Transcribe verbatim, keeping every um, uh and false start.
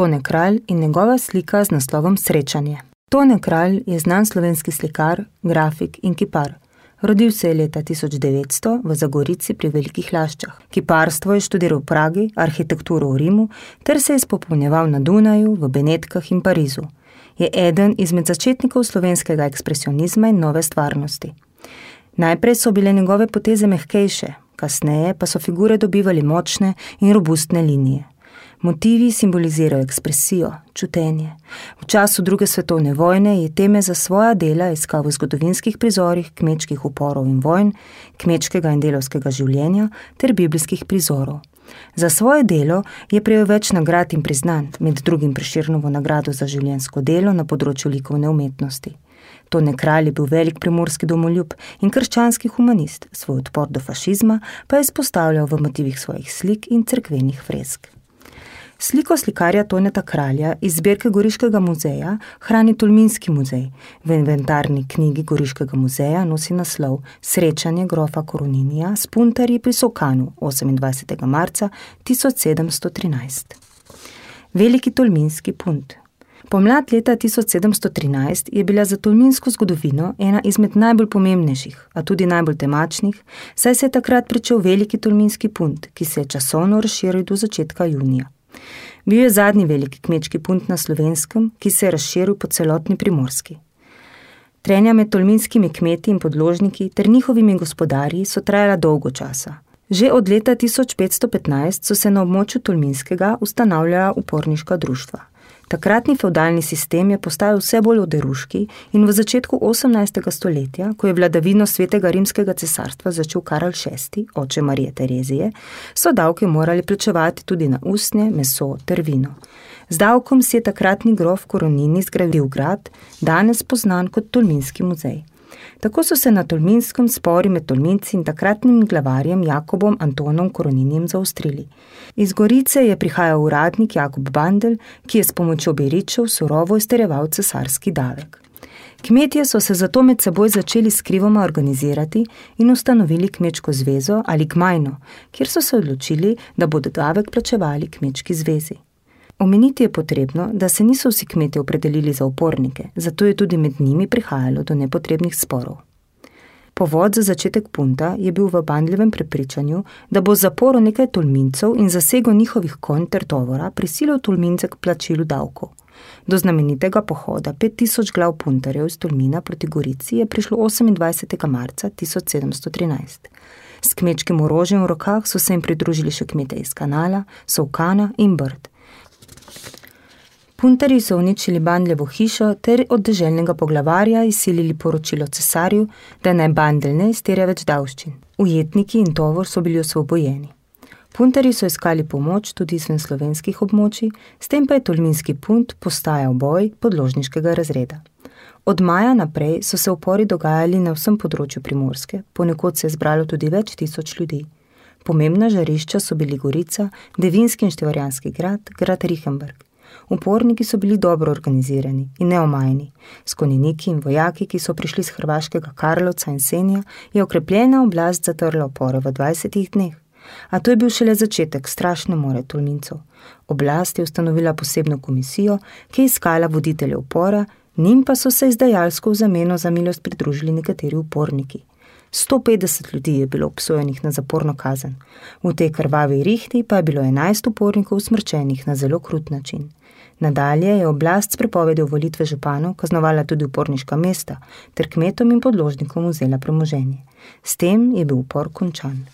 Tone Kralj in njegova slika z naslovom Srečanje. Tone Kralj je znan slovenski slikar, grafik in kipar. Rodil se je leta tisoč devetsto v Zagorici pri Velikih Laščah. Kiparstvo je študiral v Pragi, arhitekturo v Rimu ter se je spopolnjeval na Dunaju, v Benetkah in Parizu. Je eden izmed začetnikov slovenskega ekspresionizma in nove stvarnosti. Najprej so bile njegove poteze mehkejše, kasneje pa so figure dobivali močne in robustne linije. Motivi simbolizirajo ekspresijo, čutenje. V času druge svetovne vojne je teme za svoja dela iskal v zgodovinskih prizorih kmečkih uporov in vojn, kmečkega in delavskega življenja ter biblijskih prizorov. Za svoje delo je prejel več nagrad in priznanj, med drugim Prešernovo nagrado za življenjsko delo na področju likovne umetnosti. Tone Kralj je bil velik primorski domoljub in krščanski humanist, svoj odpor do fašizma pa je izpostavljal v motivih svojih slik in cerkvenih fresk. Sliko slikarja Toneta Kralja iz zbirke Goriškega muzeja hrani Tolminski muzej. V inventarni knjigi Goriškega muzeja nosi naslov Srečanje grofa Koroninija s puntarji pri Sokanu osemindvajsetega marca tisoč sedemsto trinajst. Veliki tolminski punt. Pomlad leta tisoč sedemsto trinajst je bila za tolminsko zgodovino ena izmed najbolj pomembnejših, a tudi najbolj temačnih, saj se je takrat pričel veliki tolminski punt, ki se je časovno razširil do začetka junija. Bil je zadnji veliki kmečki punt na Slovenskem, ki se je razširil po celotni Primorski. Trenja med tolminskimi kmeti in podložniki ter njihovimi gospodarji so trajala dolgo časa. Že od leta tisoč petsto petnajst so se na območju Tolminskega ustanavljala uporniška društva. Takratni fevdalni sistem je postajal vse bolj oderuški in v začetku osemnajstega stoletja, ko je vladavino Svetega rimskega cesarstva začel Karel šesti, oče Marije Terezije, so davke morali plačevati tudi na usnje, meso ter vino. Z davkom si je takratni grof Koronini zgradil grad, danes poznan kot Tolminski muzej. Tako so se na Tolminskem spori med Tolminci in takratnim glavarjem Jakobom Antonom Koroninijem zaostrili. Iz Gorice je prihajal uradnik Jakob Bandelj, ki je s pomočjo beričev surovo izterjeval cesarski davek. Kmetje so se zato med seboj začeli skrivoma organizirati in ustanovili kmečko zvezo ali gmajno, kjer so se odločili, da bodo davek plačevali kmečki zvezi. Omeniti je potrebno, da se niso vsi kmetje opredelili za upornike, zato je tudi med njimi prihajalo do nepotrebnih sporov. Povod za začetek punta je bil v Bandljevem prepričanju, da bo zaporo nekaj Tolmincev in zasego njihovih konj ter tovora prisilil Tolmince k plačilu davkov. Do znamenitega pohoda pet tisoč glav puntarjev iz Tolmina proti Gorici je prišlo osemindvajsetega marca tisoč sedemsto trinajst. S kmečkim orožjem v rokah so se jim pridružili še kmete iz Kanala, Solkana in Brd. Puntarji so uničili Bandljevo hišo ter od deželnega poglavarja izsilili poročilo cesarju, da naj Bandelj ne izterja več davščin. Ujetniki in tovor so bili osvobojeni. Puntarji so iskali pomoč tudi izven slovenskih območij, s tem pa je Tolminski punt postajal boj podložniškega razreda. Od maja naprej so se upori dogajali na vsem področju Primorske, ponekod se je zbralo tudi več tisoč ljudi. Pomembna žarišča so bili Gorica, Devinski in Števarjanski grad, grad Richenberg. Uporniki so bili dobro organizirani in neomajni. S konjeniki in vojaki, ki so prišli z hrvaškega Karlovca in Senja, je okrepljena oblast zatrla upore v dvajsetih dneh. A to je bil šele začetek strašne more Tolmincev. Oblast je ustanovila posebno komisijo, ki je iskala voditelje upora, njim pa so se izdajalsko v zameno za milost pridružili nekateri uporniki. sto petdeset ljudi je bilo obsojenih na zaporno kazen. V tej krvavi rihti pa je bilo enajst upornikov usmrčenih na zelo krut način. Nadalje je oblast s prepovedjo volitve županov kaznovala tudi uporniška mesta ter kmetom in podložnikom vzela premoženje. S tem je bil upor končan.